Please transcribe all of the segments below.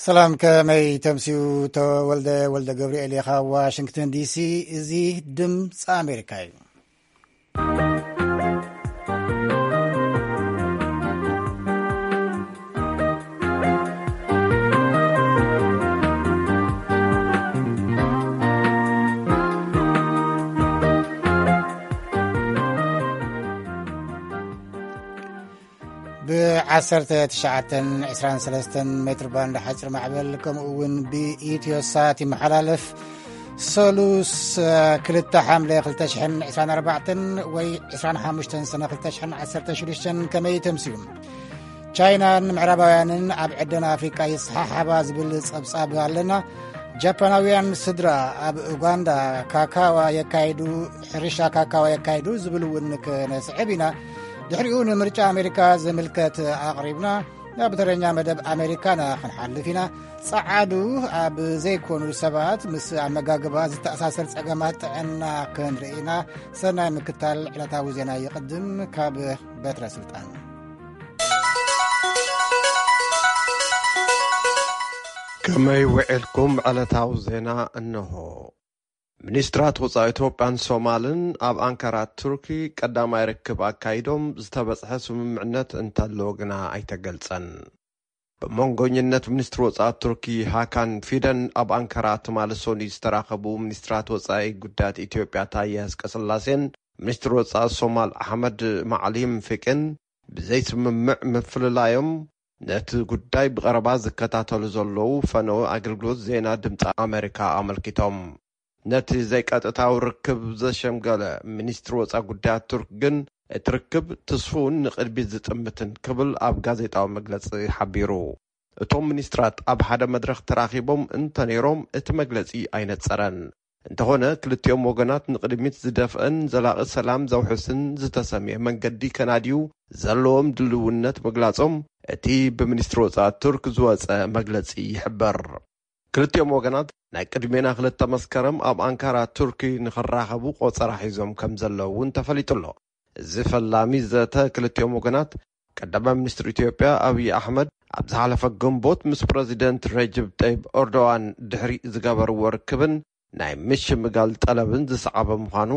ሰላም፣ ከመይ ተምስዩ? ተወልደ ወልደ ገብርኤል ኢኻ፣ ዋሽንግተን ዲሲ። እዚ ድምፂ ኣሜሪካ እዩ። ብ19 23 ሜትር ባንድ ሓፂር ማዕበል፣ ከምኡ እውን ብኢትዮ ሳት ይመሓላለፍ። ሰሉስ፣ ክልተ ሓምለ ክልተ ሽሕን ዕስራን ኣርባዕተን ወይ ዕስራን ሓሙሽተን ሰነ ክልተ ሽሕን ዓሰርተ ሽዱሽተን። ከመይ ተምስዩ? ቻይናን ምዕራባውያንን ኣብ ዕደና ኣፍሪቃ ይሰሓሓባ ዝብል ጸብጻብ ኣለና። ጃፓናውያን ስድራ ኣብ ኡጋንዳ ካካዋ የካይዱ፣ ሕርሻ ካካዋ የካይዱ ዝብል እውን ክነስዕብ ኢና። ድሕሪኡ ንምርጫ ኣሜሪካ ዝምልከት ኣቕሪብና፣ ናብ ተረኛ መደብ ኣሜሪካና ክንሓልፍ ኢና። ጸዓዱ ኣብ ዘይኮኑ ሰባት ምስ ኣመጋግባ ዝተኣሳሰር ጸገማት ጥዕና ክንርኢ ኢና። ሰናይ ምክታል። ዕለታዊ ዜና ይቕድም። ካብ በትረ ስልጣን። ከመይ ውዒልኩም? ዕለታዊ ዜና እንሆ። ሚኒስትራት ወጻኢ ኢትዮጵያን ሶማልን ኣብ ኣንካራ ቱርኪ ቀዳማይ ርክብ ኣካይዶም፣ ዝተበጽሐ ስምምዕነት እንተሎ ግና ኣይተገልጸን። ብመንጎኝነት ሚኒስትሪ ወጻኢ ቱርኪ ሃካን ፊደን ኣብ ኣንካራ ትማሊ ሰኑይ ዝተራኸቡ ሚኒስትራት ወጻኢ ጉዳያት ኢትዮጵያ ታየ ኣጽቀስላሴን ሚኒስትሪ ወጻኢ ሶማል ኣሕመድ ማዕሊም ፊቅን ብዘይስምምዕ ምፍልላዮም ነቲ ጉዳይ ብቐረባ ዝከታተሉ ዘለዉ ፈነወ ኣገልግሎት ዜና ድምፂ ኣሜሪካ ኣመልኪቶም። ነቲ ዘይቀጥታዊ ርክብ ዘሸምገለ ሚኒስትሪ ወፃኢ ጉዳያት ቱርክ ግን፣ እቲ ርክብ ትስፉውን ንቕድሚት ዝጥምትን ክብል ኣብ ጋዜጣዊ መግለፂ ሓቢሩ። እቶም ሚኒስትራት ኣብ ሓደ መድረኽ ተራኺቦም እንተነይሮም እቲ መግለፂ ኣይነፀረን። እንተኾነ ክልቲኦም ወገናት ንቕድሚት ዝደፍእን ዘላቒ ሰላም ዘውሕስን ዝተሰምየ መንገዲ ከናድዩ ዘለዎም ድልውነት ምግላጾም እቲ ብሚኒስትሪ ወጻኢ ቱርክ ዝወጸ መግለጺ ይሕብር። ክልቲኦም ወገናት ናይ ቅድሜና ክልተ መስከረም ኣብ ኣንካራ ቱርኪ ንኽራኸቡ ቆጸራ ሒዞም ከም ዘለዉ እውን ተፈሊጡ ኣሎ። እዚ ፈላሚ ዘተ ክልቲኦም ወገናት ቀዳማይ ሚኒስትር ኢትዮጵያ ኣብይ ኣሕመድ ኣብ ዝሓለፈ ግንቦት ምስ ፕረዚደንት ረጅብ ጠይብ ኤርዶዋን ድሕሪ ዝገበርዎ ርክብን ናይ ምሽምጋል ጠለብን ዝሰዓበ ምዃኑ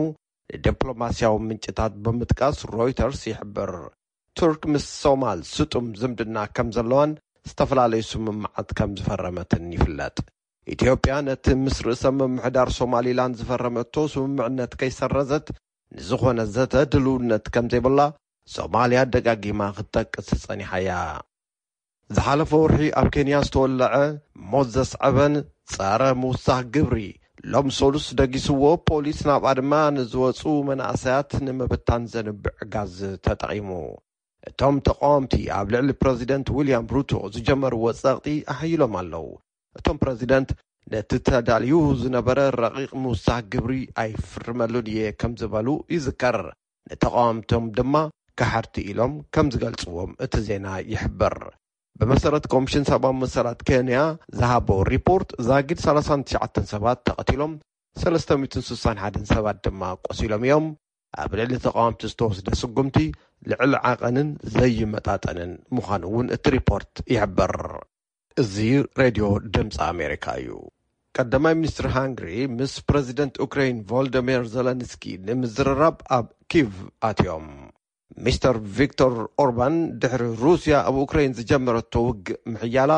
ንዲፕሎማስያዊ ምንጭታት ብምጥቃስ ሮይተርስ ይሕብር። ቱርክ ምስ ሶማል ስጡም ዝምድና ከም ዘለዋን ዝተፈላለዩ ስምምዓት ከም ዝፈረመትን ይፍለጥ። ኢትዮጵያ ነቲ ምስ ርእሰ ምምሕዳር ሶማሊላንድ ዝፈረመቶ ስምምዕነት ከይሰረዘት ንዝኾነ ዘተ ድልውነት ከም ዘይብላ ሶማልያ ደጋጊማ ክትጠቅስ ጸኒሓ እያ። ዝሓለፈ ወርሒ ኣብ ኬንያ ዝተወለዐ ሞት ዘስዐበን ጸረ ምውሳኽ ግብሪ ሎም ሰሉስ ደጊስዎ፣ ፖሊስ ናብኣ ድማ ንዝወጹ መናእሰያት ንምብታን ዘንብዕ ጋዝ ተጠቒሙ። እቶም ተቃወምቲ ኣብ ልዕሊ ፕረዚደንት ዊልያም ሩቶ ዝጀመርዎ ጸቕጢ ኣሕይሎም ኣለዉ። እቶም ፕረዚደንት ነቲ ተዳልዩ ዝነበረ ረቂቕ ምውሳኽ ግብሪ ኣይፍርመሉን እየ ከም ዝበሉ ይዝከር። ንተቃወምቶም ድማ ከሓድቲ ኢሎም ከም ዝገልጽዎም እቲ ዜና ይሕብር። ብመሰረት ኮሚሽን ሰብኣዊ መሰላት ኬንያ ዝሃቦ ሪፖርት፣ ዛጊድ ሰላሳን ትሽዓተን ሰባት ተቐቲሎም፣ ሰለስተ ሚእትን ስሳን ሓደን ሰባት ድማ ቆሲሎም እዮም። ኣብ ልዕሊ ተቃወምቲ ዝተወስደ ስጉምቲ ልዕሊ ዓቐንን ዘይመጣጠንን ምዃኑ እውን እቲ ሪፖርት ይሕብር። እዚ ሬድዮ ድምፂ ኣሜሪካ እዩ። ቀዳማይ ሚኒስትር ሃንግሪ ምስ ፕረዚደንት ኡክራይን ቮልደሚር ዘለንስኪ ንምዝርራብ ኣብ ኪቭ ኣትዮም። ሚስተር ቪክቶር ኦርባን ድሕሪ ሩስያ ኣብ ኡክራይን ዝጀመረቶ ውግእ ምሕያላ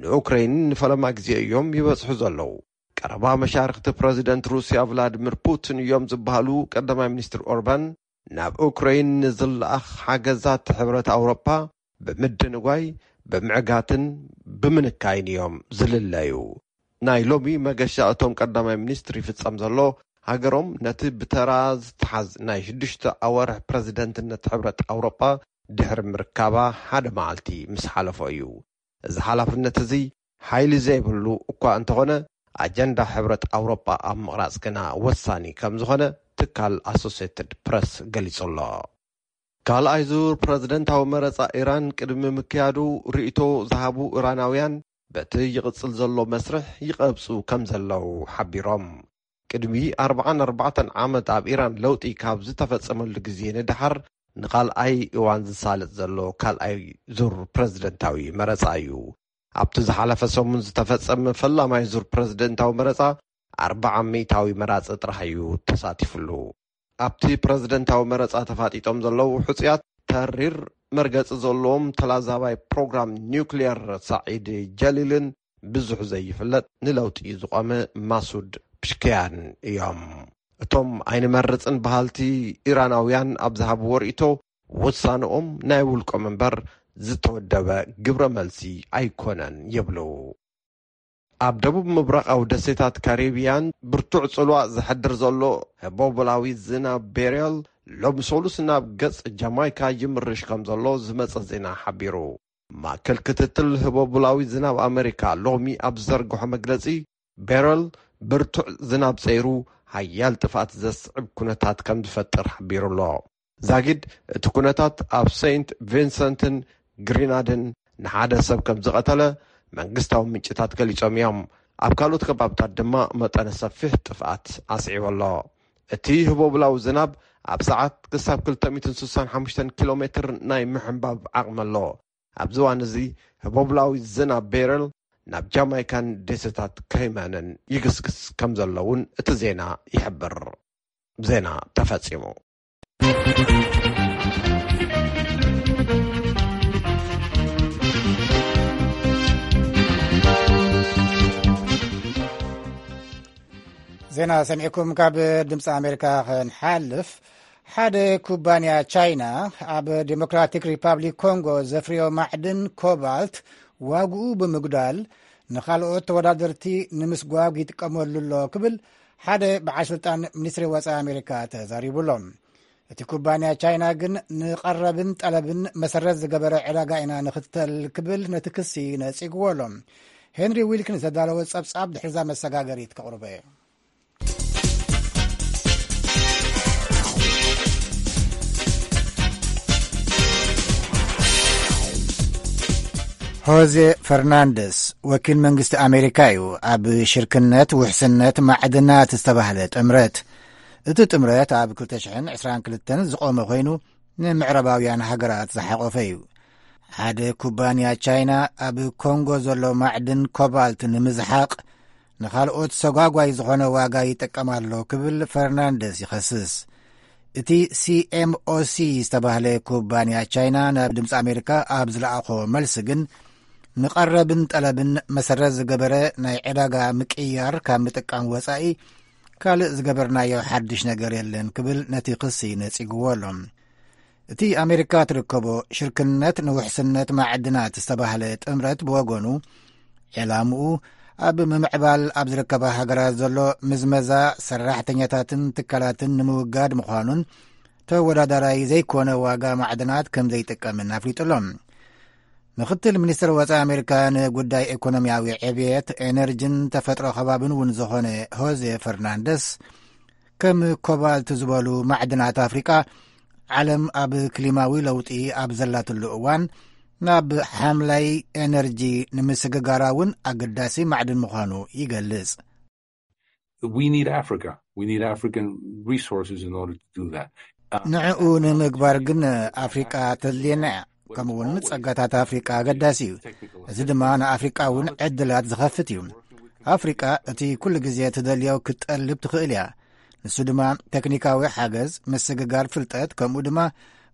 ንኡክራይን ንፈለማ ግዜ እዮም ይበጽሑ ዘለዉ። ቀረባ መሻርክቲ ፕረዚደንት ሩስያ ቭላድሚር ፑቲን እዮም ዝበሃሉ ቀዳማይ ሚኒስትር ኦርባን፣ ናብ ኡክራይን ንዝለኣኽ ሓገዛት ሕብረት ኣውሮፓ ብምድንጓይ፣ ብምዕጋትን ብምንካይን እዮም ዝልለዩ። ናይ ሎሚ መገሻ እቶም ቀዳማይ ሚኒስትር ይፍጸም ዘሎ፣ ሃገሮም ነቲ ብተራ ዝተሓዝ ናይ ሽዱሽተ ኣዋርሕ ፕረዚደንትነት ሕብረት ኣውሮጳ ድሕሪ ምርካባ ሓደ መዓልቲ ምስ ሓለፎ እዩ። እዚ ሓላፍነት እዚ ሓይሊ ዘይብሉ እኳ እንተኾነ፣ ኣጀንዳ ሕብረት ኣውሮጳ ኣብ ምቕራጽ ግና ወሳኒ ከም ዝኾነ ትካል ኣሶሴትድ ፕረስ ገሊጹ ኣሎ። ካልኣይ ዙር ፕረዚደንታዊ መረጻ ኢራን ቅድሚ ምክያዱ ርእይቶ ዝሃቡ ኢራናውያን፣ በቲ ይቕጽል ዘሎ መስርሕ ይቐብጹ ከም ዘለዉ ሓቢሮም። ቅድሚ ኣርባዓን ኣርባዕተን ዓመት ኣብ ኢራን ለውጢ ካብ ዝተፈጸመሉ ግዜ ንደሓር ንኻልኣይ እዋን ዝሳለጥ ዘሎ ካልኣይ ዙር ፕረዚደንታዊ መረጻ እዩ። ኣብቲ ዝሓለፈ ሰሙን ዝተፈጸመ ፈላማይ ዙር ፕረዚደንታዊ መረጻ ኣርብዓ ሚእታዊ መራጺ ጥራሕ እዩ ተሳቲፍሉ። ኣብቲ ፕረዚደንታዊ መረጻ ተፋጢጦም ዘለዉ ሕጹያት፣ ተሪር መርገጺ ዘለዎም ተላዛባይ ፕሮግራም ኒውክሊየር ሳዒድ ጀሊልን ብዙሕ ዘይፍለጥ ንለውጢ ዝቖመ ማሱድ ፕሽክያን እዮም። እቶም ኣይንመርጽን በሃልቲ ኢራናውያን ኣብ ዝሃብዎ ርእይቶ፣ ውሳንኦም ናይ ውልቆም እምበር ዝተወደበ ግብረ መልሲ ኣይኮነን ይብሉ። ኣብ ደቡብ ምብራቓዊ ደሴታት ካሪብያን ብርቱዕ ጽልዋ ዘሕድር ዘሎ ህቦብላዊ ዝናብ ቤርያል ሎም ሰሉስ ናብ ገጽ ጃማይካ ይምርሽ ከም ዘሎ ዝመጸ ዜና ሓቢሩ። ማእከል ክትትል ህቦብላዊ ዝናብ ኣመሪካ ሎሚ ኣብ ዝዘርግሖ መግለጺ፣ ቤረል ብርቱዕ ዝናብ ጸይሩ ሓያል ጥፍኣት ዘስዕብ ኩነታት ከም ዝፈጥር ሓቢሩ ኣሎ። ዛጊድ እቲ ኩነታት ኣብ ሴንት ቪንሰንትን ግሪናድን ንሓደ ሰብ ከም ዝቐተለ መንግስታዊ ምንጭታት ገሊጾም እዮም። ኣብ ካልኦት ከባብታት ድማ መጠነ ሰፊሕ ጥፍኣት ኣስዒቡ ኣሎ። እቲ ህቦብላዊ ዝናብ ኣብ ሰዓት ክሳብ ክልተ ሚእትን ስሳን ሓሙሽተን ኪሎ ሜትር ናይ ምሕንባብ ዓቕሚ ኣሎ። ኣብዚ እዋን እዚ ህቦብላዊ ዝናብ ቤረል ናብ ጃማይካን ደሴታት ከይማንን ይግስግስ ከም ዘሎ እውን እቲ ዜና ይሕብር። ዜና ተፈጺሙ። ዜና ሰሚዕኩም ካብ ድምፂ ኣሜሪካ ክንሓልፍ፣ ሓደ ኩባንያ ቻይና ኣብ ዴሞክራቲክ ሪፓብሊክ ኮንጎ ዘፍርዮ ማዕድን ኮባልት ዋግኡ ብምጉዳል ንኻልኦት ተወዳደርቲ ንምስጓግ ይጥቀመሉ ኣሎ ክብል ሓደ በዓል ስልጣን ሚኒስትሪ ወፃኢ ኣሜሪካ ተዛሪቡ ኣሎ። እቲ ኩባንያ ቻይና ግን ንቐረብን ጠለብን መሰረት ዝገበረ ዕዳጋ ኢና ንኽተል ክብል ነቲ ክሲ ነፂግዎ ኣሎ። ሄንሪ ዊልኪንስ ዘዳለወ ጸብጻብ ድሕርዛ መሰጋገሪት ከቕርበ። ሆዜ ፈርናንደስ ወኪል መንግስቲ ኣሜሪካ እዩ ኣብ ሽርክነት ውሕስነት ማዕድናት ዝተባህለ ጥምረት። እቲ ጥምረት ኣብ ክልተ ሽሕን ዕስራን ክልተን ዝቖመ ኮይኑ፣ ንምዕራባውያን ሃገራት ዝሓቖፈ እዩ። ሓደ ኩባንያ ቻይና ኣብ ኮንጎ ዘሎ ማዕድን ኮባልት ንምዝሓቕ ንኻልኦት ሰጓጓይ ዝኾነ ዋጋ ይጥቀም ኣሎ ክብል ፈርናንደስ ይኸስስ። እቲ ሲ ኤም ኦ ሲ ዝተባህለ ኩባንያ ቻይና ናብ ድምፂ ኣሜሪካ ኣብ ዝለኣኾ መልሲ ግን፣ ንቐረብን ጠለብን መሰረት ዝገበረ ናይ ዕዳጋ ምቅያር ካብ ምጥቃም ወፃኢ ካልእ ዝገበርናዮ ሓድሽ ነገር የለን ክብል ነቲ ክሲ ነፂግዎ ኣሎ። እቲ ኣሜሪካ ትርከቦ ሽርክነት ንውሕስነት ማዕድናት ዝተባህለ ጥምረት ብወገኑ፣ ዕላምኡ ኣብ ምምዕባል ኣብ ዝርከባ ሃገራት ዘሎ ምዝመዛ ሰራሕተኛታትን ትካላትን ንምውጋድ ምዃኑን ተወዳዳራይ ዘይኮነ ዋጋ ማዕድናት ከም ዘይጥቀምን ኣፍሊጡ ኣሎ። ምክትል ሚኒስትር ወፃኢ ኣሜሪካ ንጉዳይ ኢኮኖሚያዊ ዕብየት፣ ኤነርጂን ተፈጥሮ ከባብን እውን ዝኾነ ሆዜ ፈርናንደስ፣ ከም ኮባልት ዝበሉ ማዕድናት ኣፍሪቃ፣ ዓለም ኣብ ክሊማዊ ለውጢ ኣብ ዘላትሉ እዋን ናብ ሓምላይ ኤነርጂ ንምስግጋራ እውን ኣገዳሲ ማዕድን ምዃኑ ይገልጽ። We need Africa. We need African resources in order to do that. ንዕኡ ንምግባር ግን ኣፍሪቃ ተድልየና እያ። ከምኡ እውን ጸጋታት ኣፍሪቃ ኣገዳሲ እዩ። እዚ ድማ ንኣፍሪቃ እውን ዕድላት ዝኸፍት እዩ። ኣፍሪቃ እቲ ኩሉ ግዜ ትደልዮ ክትጠልብ ትኽእል እያ። ንሱ ድማ ቴክኒካዊ ሓገዝ፣ ምስግጋር ፍልጠት፣ ከምኡ ድማ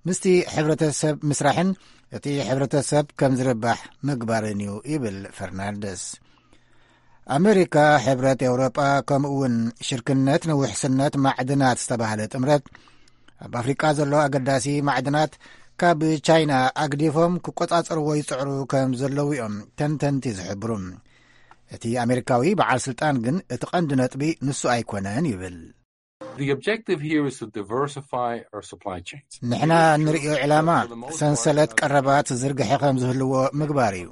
ምስቲ ሕብረተሰብ ምስራሕን እቲ ሕብረተሰብ ከም ዝርባሕ ምግባርን እዩ ይብል ፈርናንደስ። ኣሜሪካ፣ ሕብረት ኤውሮጳ፣ ከምኡ እውን ሽርክነት ንውሕስነት ማዕድናት ዝተባህለ ጥምረት ኣብ ኣፍሪቃ ዘሎ ኣገዳሲ ማዕድናት ካብ ቻይና ኣግዲፎም ክቆጻጸርዎ ይጽዕሩ ከም ዘለዉ እዮም ተንተንቲ ዝሕብሩ። እቲ ኣሜሪካዊ በዓል ስልጣን ግን እቲ ቀንዲ ነጥቢ ንሱ ኣይኮነን ይብል። The objective here is to diversify our supply chains. ንሕና እንርእዮ ዕላማ ሰንሰለት ቀረባት ዝርግሐ ከም ዝህልዎ ምግባር እዩ።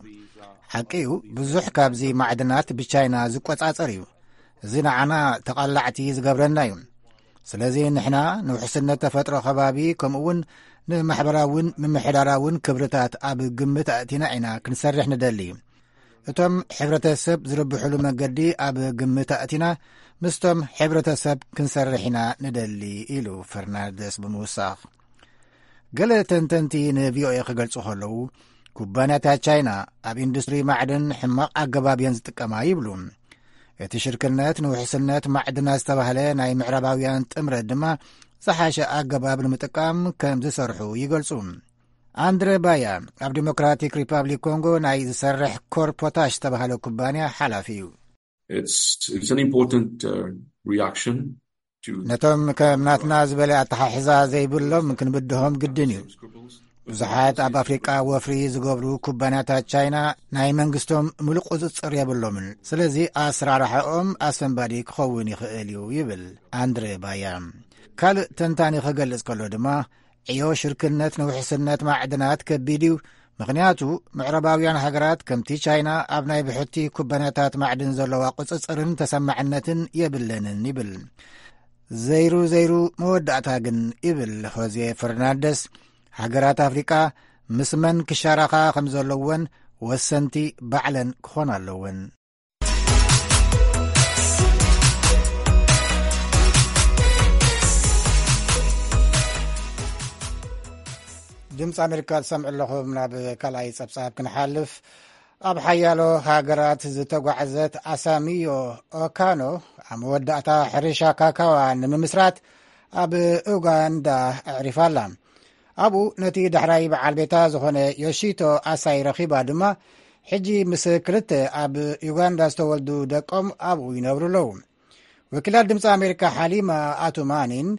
ሓቂ እዩ፣ ብዙሕ ካብዚ ማዕድናት ብቻይና ዝቆጻጸር እዩ። እዚ ንዓና ተቓላዕቲ ዝገብረና እዩ። ስለዚ ንሕና ንውሕስነት ተፈጥሮ ከባቢ፣ ከምኡ እውን ንማሕበራውን ምምሕዳራውን ክብርታት ኣብ ግምት ኣእቲና ኢና ክንሰርሕ ንደሊ። እቶም ሕብረተሰብ ዝርብሕሉ መንገዲ ኣብ ግምት ኣእቲና፣ ምስቶም ሕብረተሰብ ክንሰርሕ ኢና ንደሊ፣ ኢሉ ፈርናንደስ ብምውሳኽ። ገለ ተንተንቲ ንቪኦኤ ክገልጹ ከለዉ፣ ኩባንያታት ቻይና ኣብ ኢንዱስትሪ ማዕድን ሕማቕ ኣገባብ እየን ዝጥቀማ ይብሉ። እቲ ሽርክነት ንውሕስነት ማዕድናት ዝተባህለ ናይ ምዕራባውያን ጥምረት ድማ ዝሓሸ ኣገባብ ንምጥቃም ከም ዝሰርሑ ይገልጹ። ኣንድረ ባያ ኣብ ዲሞክራቲክ ሪፓብሊክ ኮንጎ ናይ ዝሰርሕ ኮር ፖታሽ ዝተባህለ ኩባንያ ሓላፊ እዩ። It's, it's an important uh, reaction to ነቶም ከም ናትና ዝበለ ኣተሓሕዛ ዘይብሎም ክንብድሆም ግድን እዩ። ብዙሓት ኣብ ኣፍሪቃ ወፍሪ ዝገብሩ ኩባንያታት ቻይና ናይ መንግስቶም ምሉእ ቁጽጽር የብሎምን። ስለዚ ኣስራርሓኦም ኣሰንባዲ ክኸውን ይኽእል እዩ ይብል ኣንድረ ባያ። ካልእ ተንታኒ ክገልጽ ከሎ ድማ ዕዮ ሽርክነት ንውሕስነት ማዕድናት ከቢድ እዩ። ምኽንያቱ ምዕራባውያን ሃገራት ከምቲ ቻይና ኣብ ናይ ብሕቲ ኩባንያታት ማዕድን ዘለዋ ቁጽጽርን ተሰማዕነትን የብለንን ይብል። ዘይሩ ዘይሩ መወዳእታ ግን ይብል ሆዜ ፈርናንደስ፣ ሃገራት ኣፍሪቃ ምስ መን ክሻራኻ ከም ዘለወን ወሰንቲ ባዕለን ክኾና ኣለወን። ድምፂ ኣሜሪካ ትሰምዑ ኣለኹም። ናብ ካልኣይ ጸብጻብ ክንሓልፍ፣ ኣብ ሓያሎ ሃገራት ዝተጓዕዘት ኣሳሚዮ ኦካኖ ኣብ መወዳእታ ሕርሻ ካካዋ ንምምስራት ኣብ ኡጋንዳ ኣዕሪፋ ኣላ። ኣብኡ ነቲ ዳሕራይ በዓል ቤታ ዝኾነ ዮሺቶ ኣሳይ ረኺባ ድማ፣ ሕጂ ምስ ክልተ ኣብ ዩጋንዳ ዝተወልዱ ደቆም ኣብኡ ይነብሩ ኣለዉ። ወኪላት ድምፂ ኣሜሪካ ሓሊማ ኣቱማኒን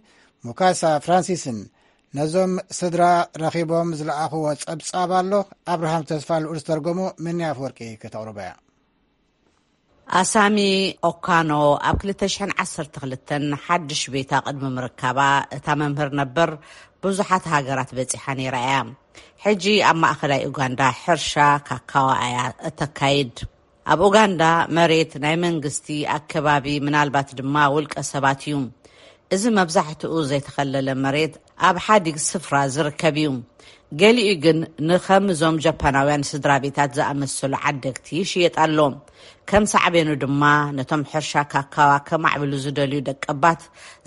ሙካሳ ፍራንሲስን ነዞም ስድራ ረኺቦም ዝለኣኽዎ ጸብጻብ ኣሎ። ኣብርሃም ተስፋ ልኡል ዝተርጎሞ ምንያ ኣፍወርቂ ከተቕርቦ እያ። ኣሳሚ ኦካኖ ኣብ ክልተ ሽሕን ዓሰርተ ክልተን ሓድሽ ቤታ ቅድሚ ምርካባ፣ እታ መምህር ነበር ብዙሓት ሃገራት በጺሓ ነይራ እያ። ሕጂ ኣብ ማእኸላይ ኡጋንዳ ሕርሻ ካካዋ እያ እተካይድ። ኣብ ኡጋንዳ መሬት ናይ መንግስቲ፣ ኣከባቢ፣ ምናልባት ድማ ውልቀ ሰባት እዩ። እዚ መብዛሕትኡ ዘይተኸለለ መሬት ኣብ ሓዲግ ስፍራ ዝርከብ እዩ። ገሊኡ ግን ንኸም እዞም ጃፓናውያን ስድራ ቤታት ዝኣመሰሉ ዓደግቲ ይሽየጥ ኣሎ። ከም ሳዕቤኑ ድማ ነቶም ሕርሻ ካካዋ ከማዕብሉ ዝደልዩ ደቀባት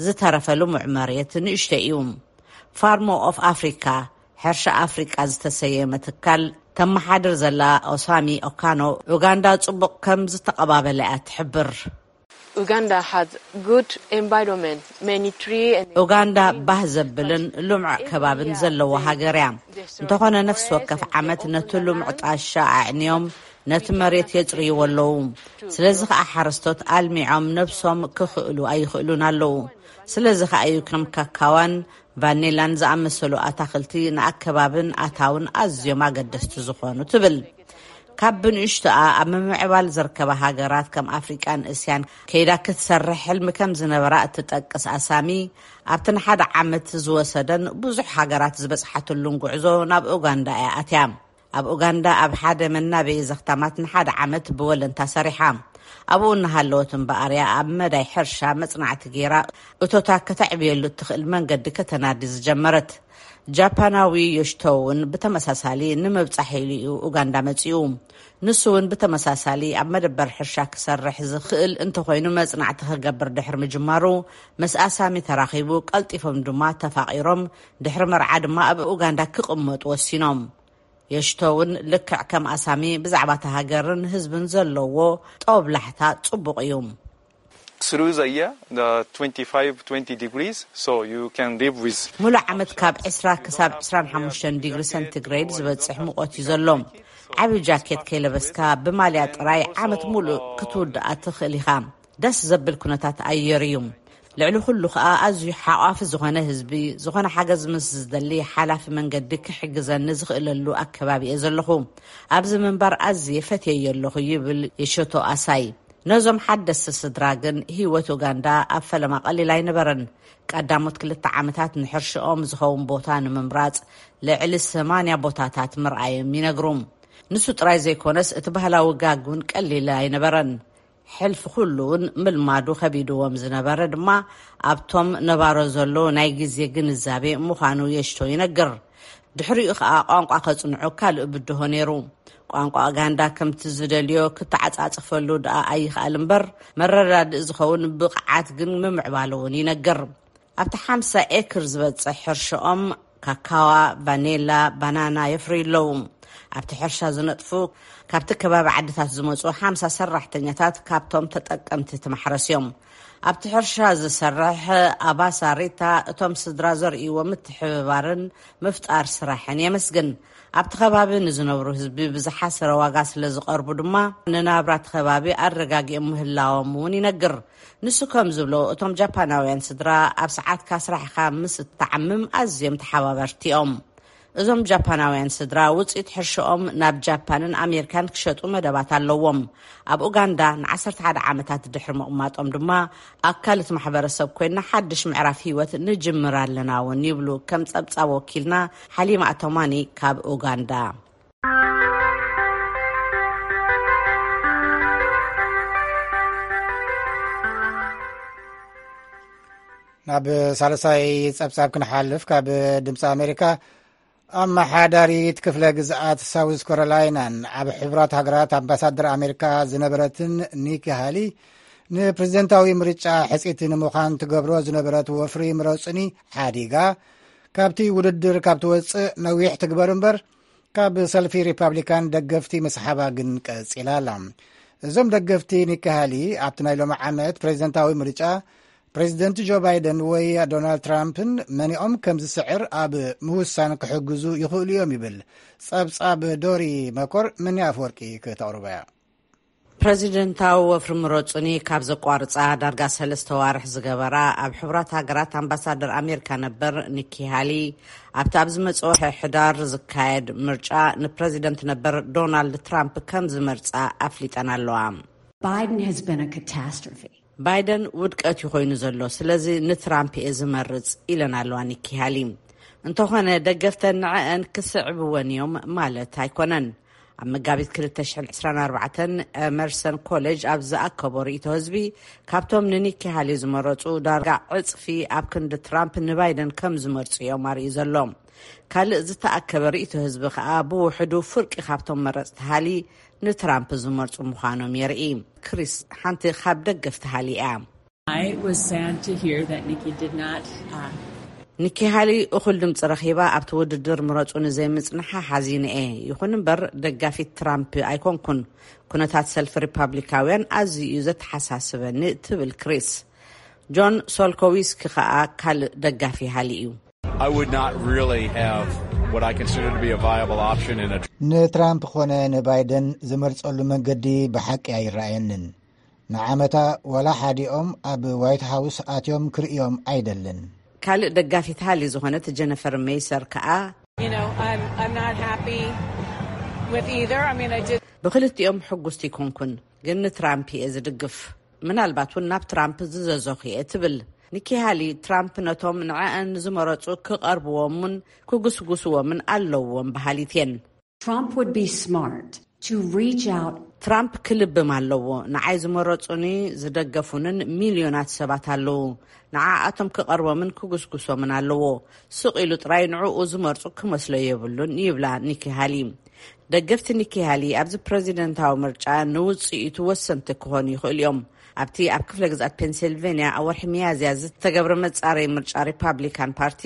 ዝተረፈ ልሙዕ መሬት ንእሽቶ እዩ። ፋርሞ ኦፍ ኣፍሪካ፣ ሕርሻ ኣፍሪቃ ዝተሰየመ ትካል ተመሓድር ዘላ ኦሳሚ ኦካኖ፣ ኡጋንዳ ጽቡቕ ከም ዝተቐባበለ እያ ትሕብር። Uganda has good environment, many tree and ኡጋንዳ ባህ ዘብልን ልሙዕ ከባብን ዘለዎ ሃገር እያ። እንተኾነ ነፍሲ ወከፍ ዓመት ነቲ ልሙዕ ጣሻ ኣዕንዮም ነቲ መሬት የጽርይዎ ኣለዉ። ስለዚ ኸኣ ሓረስቶት ኣልሚዖም ነብሶም ክኽእሉ ኣይኽእሉን ኣለዉ። ስለዚ ኸኣ እዩ ከም ካካዋን ቫኒላን ዝኣመሰሉ ኣታኽልቲ ንኣከባብን ኣታውን ኣዝዮም ኣገደስቲ ዝኾኑ ትብል። ካብ ብንእሽቶኣ ኣብ ምምዕባል ዝርከባ ሃገራት ከም ኣፍሪቃን እስያን ከይዳ ክትሰርሕ ሕልሚ ከም ዝነበራ እትጠቅስ ኣሳሚ፣ ኣብቲ ንሓደ ዓመት ዝወሰደን ብዙሕ ሃገራት ዝበጽሓትሉን ጉዕዞ ናብ ኡጋንዳ እያ ኣትያ። ኣብ ኡጋንዳ ኣብ ሓደ መናበዪ ዘኽታማት ንሓደ ዓመት ብወለንታ ሰሪሓ። ኣብኡ እናሃለወት እምበኣር እያ ኣብ መዳይ ሕርሻ መጽናዕቲ ገይራ እቶታ ከተዕብየሉ እትኽእል መንገዲ ከተናዲ ዝጀመረት። ጃፓናዊ ዮሽቶ እውን ብተመሳሳሊ ንምብጻሕ ኢሉ እዩ ኡጋንዳ መጺኡ። ንሱ እውን ብተመሳሳሊ ኣብ መደበር ሕርሻ ክሰርሕ ዝኽእል እንተኾይኑ መጽናዕቲ ክገብር ድሕሪ ምጅማሩ፣ ምስ ኣሳሚ ተራኺቡ፣ ቀልጢፎም ድማ ተፋቒሮም፣ ድሕሪ መርዓ ድማ ኣብ ኡጋንዳ ክቕመጡ ወሲኖም። ዮሽቶ እውን ልክዕ ከም ኣሳሚ ብዛዕባ እታ ሃገርን ህዝብን ዘለዎ ጦብላሕታ ጽቡቕ እዩ። Through the year, the twenty-five, twenty degrees, so you can live with. ሙሉእ ዓመት ካብ ዕስራ ክሳብ ዕስራን ሓሙሽተን ዲግሪ ሰንቲግሬድ ዝበጽሕ ሙቐት እዩ ዘሎ። ዓቢ ጃኬት ከይለበስካ ብማልያ ጥራይ ዓመት ሙሉእ ክትውድኣ ትኽእል ኢኻ። ደስ ዘብል ኩነታት ኣየር እዩ። ልዕሊ ኩሉ ኸኣ ኣዝዩ ሓቋፊ ዝኾነ ህዝቢ፣ ዝኾነ ሓገዝ ምስ ዝደሊ ሓላፊ መንገዲ ክሕግዘኒ ዝኽእለሉ ኣከባቢ እየ ዘለኹ። ኣብዚ ምንባር ኣዝየ ፈትየዮ ኣለኹ ይብል የሾቶ ኣሳይ። ነዞም ሓደስቲ ስድራ ግን ህይወት ኡጋንዳ ኣብ ፈለማ ቀሊል ኣይነበረን። ቀዳሞት ክልተ ዓመታት ንሕርሽኦም ዝኸውን ቦታ ንምምራጽ ልዕሊ ሰማንያ ቦታታት ምርኣዮም ይነግሩ። ንሱ ጥራይ ዘይኮነስ እቲ ባህላዊ ጋግ እውን ቀሊል ኣይነበረን። ሕልፊ ኩሉ እውን ምልማዱ ከቢድዎም ዝነበረ ድማ ኣብቶም ነባሮ ዘሎ ናይ ግዜ ግንዛቤ ምዃኑ የሽቶ ይነግር። ድሕሪኡ ኸኣ ቋንቋ ከጽንዑ ካልእ ብድሆ ነይሩ። ቋንቋ ኡጋንዳ ከምቲ ዝደልዮ ክተዓጻጽፈሉ ደኣ ኣይኽኣል እምበር፣ መረዳድእ ዝኸውን ብቕዓት ግን ምምዕባሉ እውን ይነግር። ኣብቲ ሓምሳ ኤክር ዝበጽሕ ሕርሽኦም ካካዋ፣ ቫኔላ፣ ባናና የፍርዩ ኣለዉ። ኣብቲ ሕርሻ ዝነጥፉ፣ ካብቲ ከባቢ ዓድታት ዝመጹ ሓምሳ ሰራሕተኛታት ካብቶም ተጠቀምቲ እቲ ማሕረስ እዮም። ኣብቲ ሕርሻ ዝሰርሕ ኣባሳ ሪታ፣ እቶም ስድራ ዘርእይዎ ምትሕብባርን ምፍጣር ስራሕን የመስግን። ኣብቲ ከባቢ ንዝነብሩ ህዝቢ ብዝሓሰረ ዋጋ ስለ ዝቐርቡ ድማ፣ ንናብራ እቲ ከባቢ ኣረጋጊኦም ምህላዎም እውን ይነግር። ንሱ ከም ዝብሎ፣ እቶም ጃፓናውያን ስድራ ኣብ ሰዓትካ ስራሕካ ምስ እትዓምም ኣዝዮም ተሓባበርቲ እዮም። እዞም ጃፓናውያን ስድራ፣ ውፅኢት ሕርሽኦም ናብ ጃፓንን ኣሜሪካን ክሸጡ መደባት ኣለዎም። ኣብ ኡጋንዳ ንዓሰርተ ሓደ ዓመታት ድሕሪ ምቕማጦም ድማ፣ ኣካል እቲ ማሕበረሰብ ኮይና ሓድሽ ምዕራፍ ህይወት ንጅምር ኣለና እውን ይብሉ፣ ከም ጸብጻብ ወኪልና ሓሊማ ኣቶማኒ ካብ ኡጋንዳ። ናብ ሳልሳይ ጸብጻብ ክንሓልፍ፣ ካብ ድምፂ ኣሜሪካ፣ ኣመሓዳሪት ክፍለ ግዝኣት ሳውዝ ካሮላይናን ኣብ ሕቡራት ሃገራት ኣምባሳደር ኣሜሪካ ዝነበረትን ኒኪ ሃሊ፣ ንፕሬዝደንታዊ ምርጫ ሕጽይቲ ንምዃን ትገብሮ ዝነበረት ወፍሪ ምረጹኒ ሓዲጋ፣ ካብቲ ውድድር ካብ ትወጽእ ነዊሕ ትግበር እምበር፣ ካብ ሰልፊ ሪፓብሊካን ደገፍቲ ምስሓባ ግን ቀጺላ ኣላ። እዞም ደገፍቲ ኒኪ ሃሊ፣ ኣብቲ ናይ ሎሚ ዓመት ፕሬዝደንታዊ ምርጫ ፕሬዝደንት ጆ ባይደን ወይ ዶናልድ ትራምፕን መኒኦም ከም ዝስዕር ኣብ ምውሳን ክሕግዙ ይኽእሉ እዮም ይብል ጸብጻብ ዶሪ መኮር። ምኒ ኣፍወርቂ ክተቕርቦ እያ። ፕሬዚደንታዊ ወፍሪ ምረጹኒ ካብ ዘቋርጻ ዳርጋ ሰለስተ ዋርሕ ዝገበራ፣ ኣብ ሕቡራት ሃገራት ኣምባሳደር ኣሜሪካ ነበር ኒኪ ሃሊ፣ ኣብቲ ኣብ ዝመጽእ ወርሒ ሕዳር ዝካየድ ምርጫ ንፕሬዚደንት ነበር ዶናልድ ትራምፕ ከም ዝመርጻ ኣፍሊጠን ኣለዋ። Biden has been a catastrophe. ባይደን ውድቀት እዩ ኮይኑ ዘሎ፣ ስለዚ ንትራምፕ እየ ዝመርጽ፣ ኢለን ኣለዋ ኒኪ ሃሊ። እንተኾነ፣ ደገፍተን ንዐአን ክስዕብወን እዮም ማለት ኣይኮነን። ኣብ መጋቢት ክልተ ሽሕን ዕስራን ኣርባዕተን ኤመርሰን ኮሌጅ ኣብ ዝኣከቦ ርእይቶ ህዝቢ፣ ካብቶም ንኒኪ ሃሊ ዝመረጹ ዳርጋ ዕጽፊ ኣብ ክንዲ ትራምፕ ንባይደን ከም ዝመርጹ እዮም ኣርእዩ ዘሎ። ካልእ ዝተኣከበ ርእይቶ ህዝቢ ከኣ፣ ብውሕዱ ፍርቂ ካብቶም መረጽቲ ሃሊ ንትራምፕ ዝመርጹ ምዃኖም የርኢ። ክሪስ ሓንቲ ካብ ደገፍቲ ሃሊ እያ። I was sad to hear that Nikki did not, uh, ኒኪ ሃሊ እኹል ድምፂ ረኺባ ኣብቲ ውድድር ምረጹ ንዘይምጽንሓ ሓዚነ እየ። ይኹን እምበር፣ ደጋፊት ትራምፕ ኣይኮንኩን። ኩነታት ሰልፊ ሪፓብሊካውያን ኣዝዩ እዩ ዘተሓሳስበኒ፣ ትብል ክሪስ። ጆን ሶልኮዊስኪ ከኣ ካልእ ደጋፊ ሃሊ እዩ። I would not really have what I consider to be a viable option in a ንትራምፕ ኾነ ንባይደን ዝመርጸሉ መንገዲ ብሓቂ ኣይረኣየንን። ንዓመታ ዋላ ሓዲኦም ኣብ ዋይት ሃውስ ኣትዮም ክርእዮም ኣይደልን። ካልእ ደጋፊት ሃሊ ዝኾነት ጀነፈር ሜይሰር ከኣ፣ You know, I'm, I'm not happy with either. I mean, I did. ብክልቲኦም ሕጉስቲ ኣይኮንኩን፣ ግን ንትራምፕ እየ ዝድግፍ። ምናልባት እውን ናብ ትራምፕ ዝዘዘኹ እየ፣ ትብል። ኒኪ ሃሊ፣ ትራምፕ ነቶም ንዐአን ዝመረጹ ክቐርብዎምን ክጉስጉስዎምን ኣለዎም በሃሊት እየን። Trump would be smart to reach out. ትራምፕ ክልብም ኣለዎ። ንዓይ ዝመረጹኒ ዝደገፉንን ሚልዮናት ሰባት ኣለዉ። ንዓኣቶም ክቐርቦምን ክጉስጉሶምን ኣለዎ። ስቕ ኢሉ ጥራይ ንዕኡ ዝመርጹ ክመስሎ የብሉን፣ ይብላ ኒኪ ሃሊ። ደገፍቲ ኒኪ ሃሊ ኣብዚ ፕረዚደንታዊ ምርጫ ንውጽኢቱ ወሰንቲ ክኾኑ ይኽእሉ እዮም። ኣብቲ ኣብ ክፍለ ግዝኣት ፔንሲልቬንያ ኣብ ወርሒ ሚያዝያ ዝተገብረ መጻረዪ ምርጫ ሪፓብሊካን ፓርቲ፣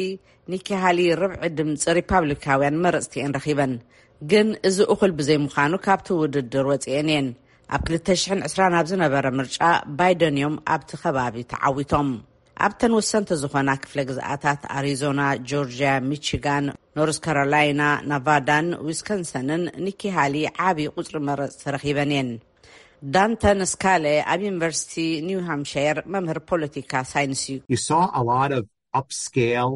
ኒኪ ሃሊ ርብዒ ድምፂ ሪፓብሊካውያን መረፅቲ እየን ረኺበን። ግን እዚ እኹል ብዘይምዃኑ ካብቲ ውድድር ወፂአን እየን። ኣብ ክልተ ሽሕን ዕስራን ኣብ ዝነበረ ምርጫ ባይደን እዮም ኣብቲ ከባቢ ተዓዊቶም። ኣብተን ወሰንቲ ዝኾና ክፍለ ግዝኣታት ኣሪዞና፣ ጆርጅያ፣ ሚቺጋን፣ ኖርዝ ካሮላይና፣ ናቫዳን ዊስኮንሰንን ኒኪ ሃሊ ዓብዪ ቁፅሪ መረፅቲ ረኺበን እየን። ዳንተን ስካለ ኣብ ዩኒቨርሲቲ ኒው ሃምሻየር መምህር ፖለቲካ ሳይንስ እዩ። You saw a lot of upscale,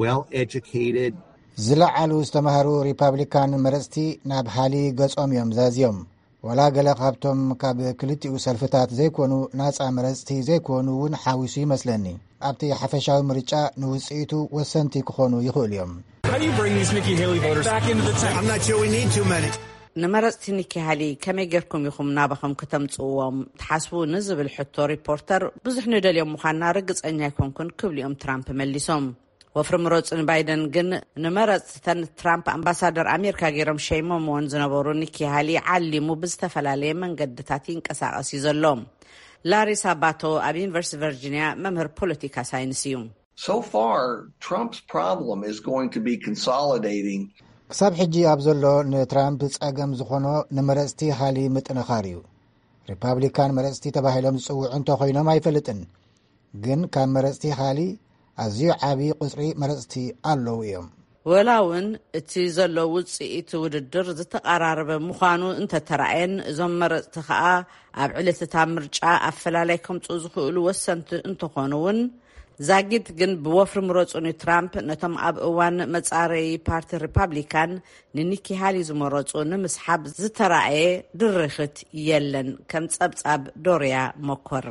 well educated. ዝለዓሉ ዝተማህሩ ሪፓብሊካን መረፅቲ ናብ ሃሊ ገጾም እዮም ዛዝዮም። ዋላ ገለ ካብቶም ካብ ክልቲኡ ሰልፍታት ዘይኮኑ ናጻ መረፅቲ ዘይኮኑ እውን ሓዊሱ ይመስለኒ። ኣብቲ ሓፈሻዊ ምርጫ ንውፅኢቱ ወሰንቲ ክኾኑ ይኽእሉ እዮም። How do you bring these Nikki Haley voters back into the tent? I'm not sure we need too many. ንመረፅቲ ኒኪ ሃሊ ከመይ ጌርኩም ኢኹም ናባኹም ከተምፅእዎም ትሓስቡ ንዝብል ሕቶ ሪፖርተር፣ ብዙሕ ንደልዮም ምዃንና ርግፀኛ ኣይኮንኩን ክብሉ እዮም ትራምፕ መሊሶም። ወፍሪ ምረፁ ንባይደን ግን ንመረፅተን ትራምፕ ኣምባሳደር ኣሜሪካ ገይሮም ሸይሞምዎን ዝነበሩ ኒኪ ሃሊ ዓሊሙ ብዝተፈላለየ መንገድታት ይንቀሳቐስ እዩ ዘሎ። ላሪ ሳባቶ ኣብ ዩኒቨርሲቲ ቨርጂኒያ መምህር ፖለቲካ ሳይንስ እዩ። So far, Trump's problem is going to be consolidating ክሳብ ሕጂ ኣብ ዘሎ ንትራምፕ ጸገም ዝኾኖ ንመረጽቲ ሃሊ ምጥንኻር እዩ። ሪፓብሊካን መረጽቲ ተባሂሎም ዝጽውዑ እንተኾይኖም ኣይፈልጥን፣ ግን ካብ መረጽቲ ሃሊ ኣዝዩ ዓቢ ቁጽሪ መረጽቲ ኣለዉ እዮም። ወላ እውን እቲ ዘሎ ውፅኢት ውድድር ዝተቐራረበ ምዃኑ እንተተራእየን፣ እዞም መረፅቲ ከኣ ኣብ ዕለትታ ምርጫ ኣፈላላይ ከምፅኡ ዝኽእሉ ወሰንቲ እንተኾኑ እውን፣ ዛጊት ግን ብወፍሪ ምረፁኒ ትራምፕ ነቶም ኣብ እዋን መፃረዪ ፓርቲ ሪፓብሊካን ንኒኪ ሃሊ ዝመረፁ ንምስሓብ ዝተራእየ ድርኽት የለን። ከም ፀብፃብ ዶርያ መኮር።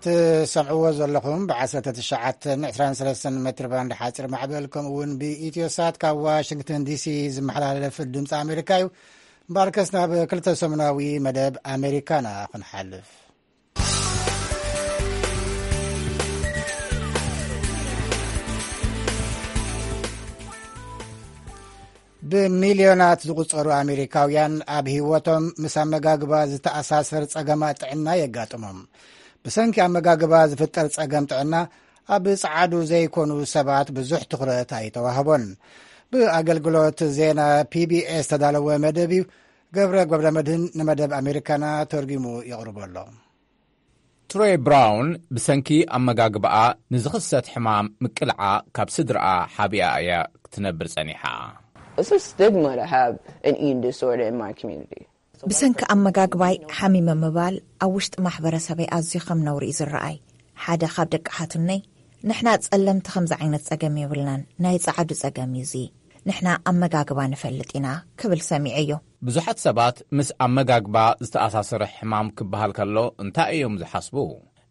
ትሰምዕዎ ዘለኹም ብ19 23 ሜትር ባንድ ሓፂር ማዕበል፣ ከምኡ እውን ብኢትዮ ሳት ካብ ዋሽንግተን ዲሲ ዝመሓላለፍ ድምፂ ኣሜሪካ እዩ። እምበኣርከስ ናብ ክልተ ሰሙናዊ መደብ ኣሜሪካና ክንሓልፍ። ብሚልዮናት ዝቑጸሩ ኣሜሪካውያን ኣብ ህይወቶም ምስ ኣመጋግባ ዝተኣሳሰር ጸገማት ጥዕና የጋጥሞም። ብሰንኪ ኣመጋግባ ዝፍጠር ጸገም ጥዕና ኣብ ጸዓዱ ዘይኮኑ ሰባት ብዙሕ ትኹረት ኣይተዋህቦን። ብኣገልግሎት ዜና ፒ ቢ ኤስ ዝተዳለወ መደብ እዩ። ገብረ ገብረ መድህን ንመደብ ኣሜሪካና ተርጒሙ የቕርቦ ኣሎ። ትሮይ ብራውን ብሰንኪ ኣመጋግባኣ ንዝኽሰት ሕማም ምቅልዓ ካብ ስድራኣ ሓቢኣ እያ ክትነብር ጸኒሓ። It's a stigma to have an eating disorder in my community. ብሰንኪ ኣመጋግባይ ሓሚመ ምባል ኣብ ውሽጢ ማሕበረሰበይ ኣዝዩ ከም ነውሪ እዩ ዝረኣይ። ሓደ ካብ ደቂ ሓትነይ፣ ንሕና ጸለምቲ ከምዚ ዓይነት ጸገም የብልናን፣ ናይ ጸዓዱ ጸገም እዩ እዚ። ንሕና ኣመጋግባ ንፈልጥ ኢና ክብል ሰሚዐዮ። ብዙሓት ሰባት ምስ ኣመጋግባ ዝተኣሳሰረ ሕማም ክበሃል ከሎ እንታይ እዮም ዝሓስቡ?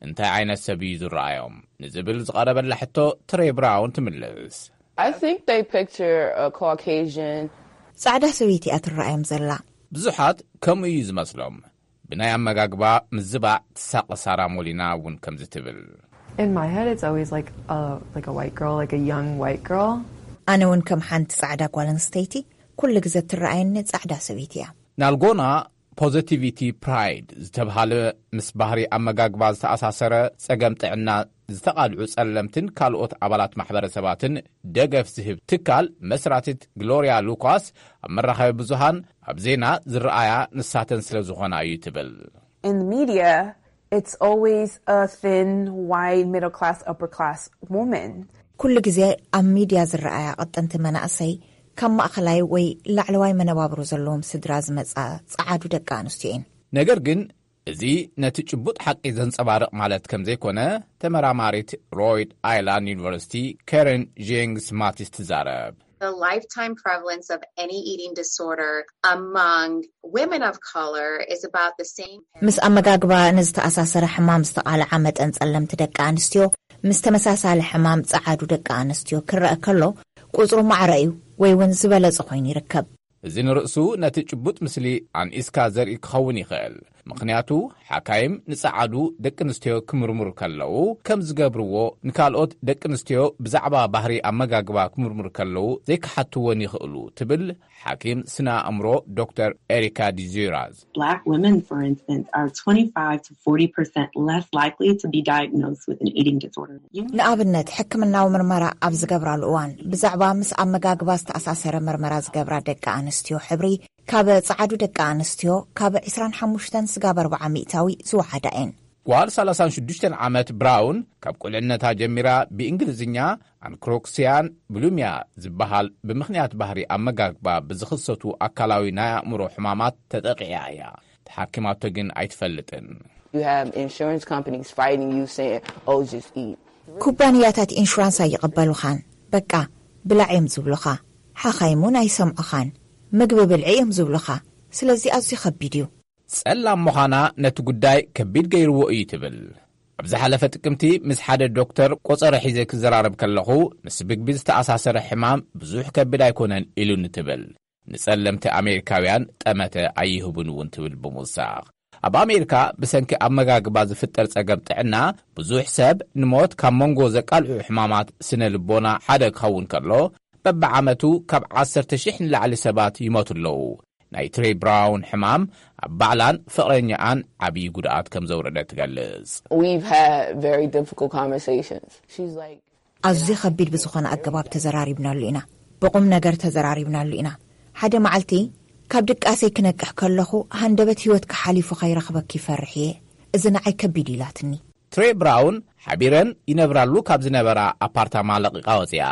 እንታይ ዓይነት ሰብ እዩ ዝረኣዮም? ንዝብል ዝቐረበላ ሕቶ ትሬ ብራውን ትምልስ። I think they picture a Caucasian. ጻዕዳ ሰበይቲ እያ ትረኣዮም ዘላ። ብዙሓት ከምኡ እዩ ዝመስሎም። ብናይ ኣመጋግባ ምዝባዕ ትሳቐ ሳራ ሞሊና እውን ከምዚ ትብል። In my head, it's always like a like a white girl, like a young white girl. ኣነ እውን ከም ሓንቲ ጻዕዳ ጓል ኣንስተይቲ ኩሉ ግዘ ትረኣየኒ ጻዕዳ ሰበይቲ እያ። ናልጎና ፖዘቲቪቲ ፕራይድ ዝተብሃለ ምስ ባህሪ ኣመጋግባ ዝተኣሳሰረ ጸገም ጥዕና ዝተቓልዑ ጸለምትን ካልኦት ኣባላት ማሕበረሰባትን ደገፍ ዝህብ ትካል መስራቲት ግሎርያ ሉካስ ኣብ መራኸቢ ብዙሃን ኣብ ዜና ዝረኣያ ንሳተን ስለ ዝኾና እዩ ትብል። In the media, it's always a thin, white, middle class, upper class woman. ኩሉ ግዜ ኣብ ሚድያ ዝረኣያ ቀጠንቲ መናእሰይ ካብ ማእኸላይ ወይ ላዕለዋይ መነባብሮ ዘለዎም ስድራ ዝመፃ ፀዓዱ ደቂ ኣንስትዮ እየን። ነገር ግን እዚ ነቲ ጭቡጥ ሓቂ ዘንጸባርቕ ማለት ከም ዘይኮነ ተመራማሪት ሮይድ ኣይላንድ ዩኒቨርሲቲ ከረን ጄንግስ ማቲስ ትዛረብ። The lifetime prevalence of any eating disorder among women of color is about the same. ምስ ኣመጋግባ ንዝተኣሳሰረ ሕማም ዝተቓልዓ መጠን ጸለምቲ ደቂ ኣንስትዮ ምስ ተመሳሳሊ ሕማም ጸዓዱ ደቂ ኣንስትዮ ክረአ ከሎ ቁጽሩ ማዕረ እዩ ወይ እውን ዝበለጸ ኮይኑ ይርከብ። እዚ ንርእሱ ነቲ ጭቡጥ ምስሊ ኣንኢስካ ዘርኢ ክኸውን ይኽእል። ምኽንያቱ ሓካይም ንጸዓዱ ደቂ ኣንስትዮ ክምርምሩ ከለዉ ከም ዝገብርዎ ንካልኦት ደቂ ኣንስትዮ ብዛዕባ ባህሪ ኣመጋግባ ክምርምሩ ከለዉ ዘይክሓትወን ይኽእሉ ትብል ሓኪም ስነ ኣእምሮ ዶክተር ኤሪካ ዲዚራዝ። Black women, for instance, are twenty-five to forty percent less likely to be diagnosed with an eating disorder. You ንኣብነት ሕክምናዊ ምርመራ ኣብ ዝገብራሉ እዋን ብዛዕባ ምስ ኣመጋግባ ዝተኣሳሰረ ምርመራ ዝገብራ ደቂ ኣንስትዮ ሕብሪ ካብ ጸዓዱ ደቂ ኣንስትዮ ካብ ዕስራን ሓሙሽተን ስጋብ ኣርብዓ ሚእታዊ ዝወሓዳ እየን። ጓል ሰላሳን ሽዱሽተን ዓመት ብራውን ካብ ቁልዕነታ ጀሚራ ብእንግሊዝኛ ኣንክሮክሲያን ብሉሚያ ዝበሃል ብምኽንያት ባህሪ ኣመጋግባ ብዝኽሰቱ ኣካላዊ ናይ ኣእምሮ ሕማማት ተጠቒዓ እያ። ተሓኪማቶ ግን ኣይትፈልጥን። You have insurance companies fighting you saying, oh, just eat. ኩባንያታት ኢንሹራንስ ኣይቕበሉኻን። በቃ ብላዕ እዮም ዝብሉኻ። ሓኻይም እውን ኣይሰምዑኻን። ምግቢ ብልዒ እዮም ዝብሉኻ። ስለዚ ኣዝዩ ከቢድ እዩ። ጸላም ምዃና ነቲ ጉዳይ ከቢድ ገይርዎ እዩ ትብል። ኣብ ዝሓለፈ ጥቅምቲ ምስ ሓደ ዶክተር ቆጸረ ሒዘ ክዘራረብ ከለኹ ምስ ምግቢ ዝተኣሳሰረ ሕማም ብዙሕ ከቢድ ኣይኮነን ኢሉኒ ትብል። ንጸለምቲ ኣሜሪካውያን ጠመተ ኣይህቡን እውን ትብል ብምውሳኽ። ኣብ ኣሜሪካ ብሰንኪ ኣመጋግባ ዝፍጠር ጸገም ጥዕና ብዙሕ ሰብ ንሞት ካብ መንጎ ዘቃልዑ ሕማማት ስነ ልቦና ሓደ ክኸውን ከሎ በብዓመቱ ካብ ዓሰርተ ሽሕ ንላዕሊ ሰባት ይሞቱ ኣለዉ። ናይ ትሬ ብራውን ሕማም ኣብ ባዕላን ፍቕረኛኣን ዓብዪ ጉድኣት ከም ዘውረደ ትገልጽ። We've had very difficult conversations. She's like, ኣዝዩ ከቢድ ብዝኾነ ኣገባብ ተዘራሪብናሉ ኢና። ብቑም ነገር ተዘራሪብናሉ ኢና። ሓደ መዓልቲ ካብ ድቃሰይ ክነቅሕ ከለኹ፣ ሃንደበት ህይወትካ ሓሊፉ ከይረኽበኪ ይፈርሕ እየ። እዚ ንዓይ ከቢድ ኢላትኒ። ትሬ ብራውን ሓቢረን ይነብራሉ ካብ ዝነበራ ኣፓርታማ ለቒቓ ወፂኣ።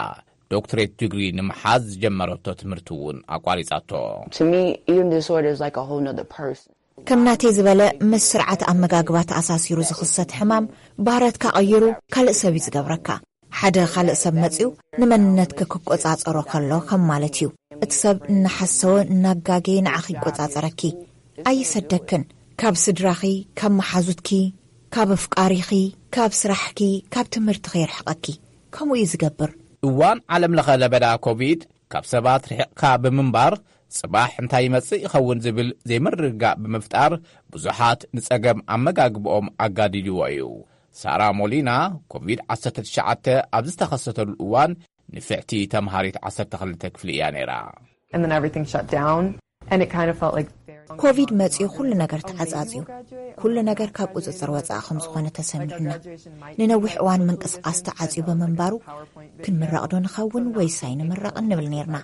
ዶክትሬት ዲግሪ ንምሓዝ ዝጀመረቶ ትምህርቲ እውን ኣቋሪጻቶ። To me, eating disorder is like a whole nother person. ከም ናተይ ዝበለ ምስ ስርዓት ኣመጋግባ ተኣሳሲሩ ዝኽሰት ሕማም፣ ባህረትካ ቀይሩ ካልእ ሰብ እዩ ዝገብረካ። ሓደ ካልእ ሰብ መጺኡ ንመንነትኪ ክቆጻጸሮ ከሎ ከም ማለት እዩ። እቲ ሰብ እናሓሰወ እናጋገየ ንዓኺ ይቆጻጸረኪ። ኣይሰደክን። ካብ ስድራኺ፣ ካብ መሓዙትኪ፣ ካብ ኣፍቃሪኺ፣ ካብ ስራሕኪ፣ ካብ ትምህርትኺ የርሕቐኪ። ከምኡ እዩ ዝገብር። እዋን ዓለም ለኸ ለበዳ ኮቪድ ካብ ሰባት ርሒቕካ ብምንባር፣ ጽባሕ እንታይ ይመጽእ ይኸውን ዝብል ዘይምርግጋእ ብምፍጣር፣ ብዙሓት ንጸገም ኣመጋግብኦም ኣጋዲድዎ እዩ። ሳራ ሞሊና ኮቪድ ዓሰርተ ትሽዓተ ኣብ ዝተኸሰተሉ እዋን፣ ንፍዕቲ ተምሃሪት ዓሰርተ ክልተ ክፍሊ እያ ነይራ። And then everything shut down. And it kind of felt like very ኮቪድ መጺኡ ኩሉ ነገር ተዓጻጽዩ። ኩሉ ነገር ካብ ቁጽጽር ወጻኢ ከም ዝኾነ ተሰሚዑና። ንነዊሕ እዋን ምንቅስቃስ ተዓጽዩ ብምንባሩ፣ ክንምረቕ ዶ ንኸውን ወይስ ኣይንምረቕን ንብል ነርና።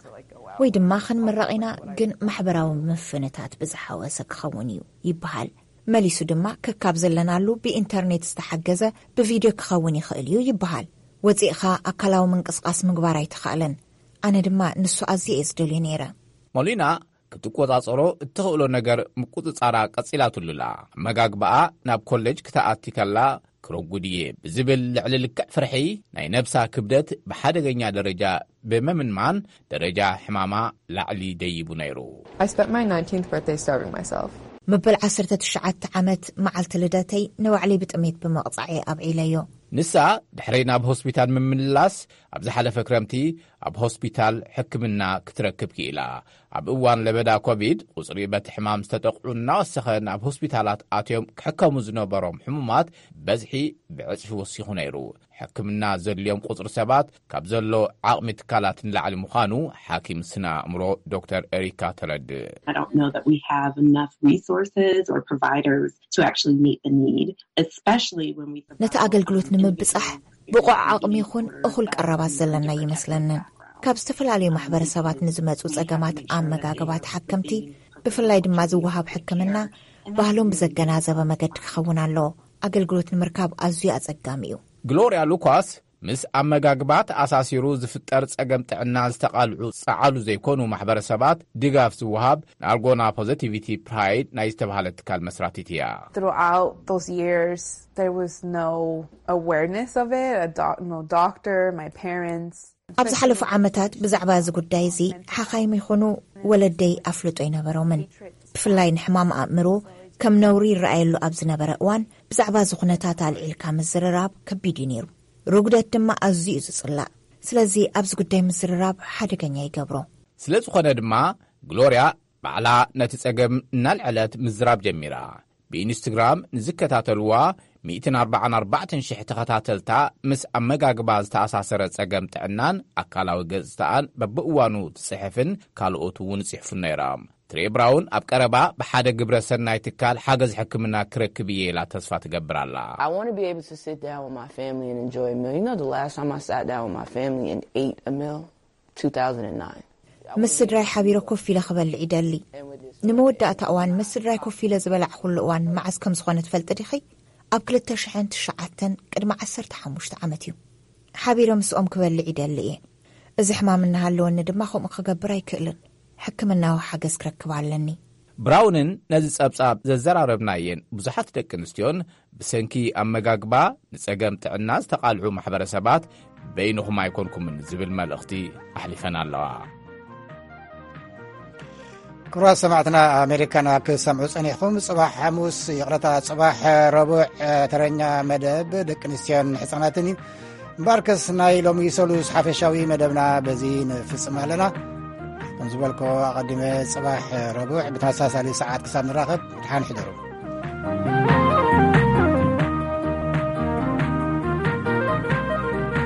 ወይ ድማ ክንምረቕ ኢና፣ ግን ማሕበራዊ ምፍንታት ብዝሓወሰ ክኸውን እዩ ይበሃል። መሊሱ ድማ ከካብ ዘለናሉ ብኢንተርኔት ዝተሓገዘ ብቪድዮ ክኸውን ይኽእል እዩ ይበሃል። ወጺእኻ ኣካላዊ ምንቅስቃስ ምግባር ኣይተኻእለን። ኣነ ድማ ንሱ ኣዝየ እየ ዝደልዮ ነይረ። ሞሊና ክትቆጻጸሮ እትኽእሎ ነገር ምቁጽጻራ ቀጺላትሉላ። ኣመጋግባኣ ናብ ኮሌጅ ክትኣቲ ከላ ክረጉድ እየ ብዝብል ልዕሊ ልክዕ ፍርሒ፣ ናይ ነብሳ ክብደት ብሓደገኛ ደረጃ ብምምንማን፣ ደረጃ ሕማማ ላዕሊ ደይቡ ነይሩ። I spent my nineteenth birthday starving myself. መበል ዓሰርተ ትሽዓተ ዓመት መዓልቲ ልደተይ ንባዕለይ ብጥሜት ብምቕጻዕ እየ ኣብዒለዮ። ንሳ ድሕረይ ናብ ሆስፒታል ምምልላስ ኣብ ዝሓለፈ ክረምቲ ኣብ ሆስፒታል ሕክምና ክትረክብ ክኢላ። ኣብ እዋን ለበዳ ኮቪድ፣ ቁጽሪ በቲ ሕማም ዝተጠቕዑ እናወሰኸ ናብ ሆስፒታላት ኣትዮም ክሕከሙ ዝነበሮም ሕሙማት በዝሒ ብዕጽፊ ወሲኹ ነይሩ። ሕክምና ዘድልዮም ቁጽሪ ሰባት ካብ ዘሎ ዓቕሚ ትካላት ንላዕሊ ምዃኑ ሓኪም ስነ ኣእምሮ ዶክተር ኤሪካ ተረድእ። I don't know that we have enough resources or providers to actually meet the need, especially when we ነቲ ኣገልግሎት ንምብጻሕ ብቑዕ ዓቕሚ ይኹን እኹል ቀረባት ዘለና ይመስለንን። ካብ ዝተፈላለዩ ማሕበረሰባት ንዝመጹ ጸገማት ኣመጋግባ ተሓከምቲ፣ ብፍላይ ድማ ዝወሃብ ሕክምና፣ ባህሎም ብዘገናዘበ መገዲ ክኸውን ኣለዎ። ኣገልግሎት ንምርካብ ኣዝዩ ኣጸጋሚ እዩ። ግሎርያ ሉኳስ፣ ምስ ኣመጋግባ ተኣሳሲሩ ዝፍጠር ጸገም ጥዕና ዝተቓልዑ ጸዓሉ ዘይኮኑ ማሕበረሰባት ድጋፍ ዝወሃብ ናርጎና ፖዘቲቪቲ ፕራይድ ናይ ዝተባህለ ትካል መስራቲት እያ። Throughout those years, there was no awareness of it. A doc- no doctor, my parents. ኣብ ዝሓለፉ ዓመታት ብዛዕባ እዚ ጉዳይ እዚ ሓኻይም ይኹኑ ወለደይ ኣፍልጦ ኣይነበሮምን። ብፍላይ ንሕማም ኣእምሮ ከም ነውሪ ይረኣየሉ ኣብ ዝነበረ እዋን፣ ብዛዕባ እዚ ኩነታት ኣልዒልካ ምዝርራብ ከቢድ እዩ ነይሩ። ርጉደት ድማ ኣዝዩ እዩ ዝጽላእ። ስለዚ ኣብዚ ጉዳይ ምዝርራብ ሓደገኛ ይገብሮ። ስለ ዝኾነ ድማ፣ ግሎርያ ባዕላ ነቲ ጸገም እናልዐለት ምዝራብ ጀሚራ። ብኢንስትግራም ንዝከታተልዋ ሚእትን ኣርባዓን ኣርባዕተን ሽሕ ተኸታተልታ፣ ምስ ኣመጋግባ ዝተኣሳሰረ ጸገም ጥዕናን ኣካላዊ ገጽታኣን በብእዋኑ ትጽሕፍን ካልኦት እውን ይጽሕፉን ነይሮም። ትሬ ብራውን ኣብ ቀረባ ብሓደ ግብረ ሰናይ ትካል ሓገዝ ሕክምና ክረክብ እየ ኢላ ተስፋ ትገብር ኣላ። I want to be able to sit down with my family and enjoy a meal. You know, the last time I sat down with my family and ate a meal, two thousand nine. ምስ ስድራይ ሓቢረ ኮፍ ኢለ ክበልዕ ይደሊ። ንመወዳእታ እዋን ምስ ስድራይ ኮፍ ኢለ ዝበላዕኩሉ እዋን መዓስ ከም ዝኾነ ትፈልጢ ዲኺ? ኣብ ክልተ ሽሕን ትሽዓተን፣ ቅድሚ ዓሰርተ ሓሙሽተ ዓመት እዩ። ሓቢረ ምስኦም ክበልዕ ይደሊ እየ። እዚ ሕማም እናሃለወኒ ድማ ከምኡ ክገብር ኣይክእልን። ሕክምናዊ ሓገዝ ክረክብ ኣለኒ። ብራውንን ነዚ ጸብጻብ ዘዘራረብናየን ብዙሓት ደቂ ኣንስትዮን ብሰንኪ ኣመጋግባ ንጸገም ጥዕና ዝተቓልዑ ማሕበረሰባት በይንኹም ኣይኮንኩምን ዝብል መልእኽቲ ኣሕሊፈን ኣለዋ። ክቡራት ሰማዕትና፣ ኣሜሪካና ክሰምዑ ጸኒሕኩም። ጽባሕ ሓሙስ፣ ይቕረታ፣ ጽባሕ ረቡዕ፣ ተረኛ መደብ ደቂ ኣንስትዮን ሕጻናትን እዩ። እምበኣርከስ ናይ ሎሚ ሰሉስ ሓፈሻዊ መደብና በዚ ንፍጽም ኣለና። ከም ዝበልኮ ኣቐዲመ፣ ጽባሕ ረቡዕ ብተመሳሳሊ ሰዓት ክሳብ ንራኸብ፣ ድሓን ሕደሩ።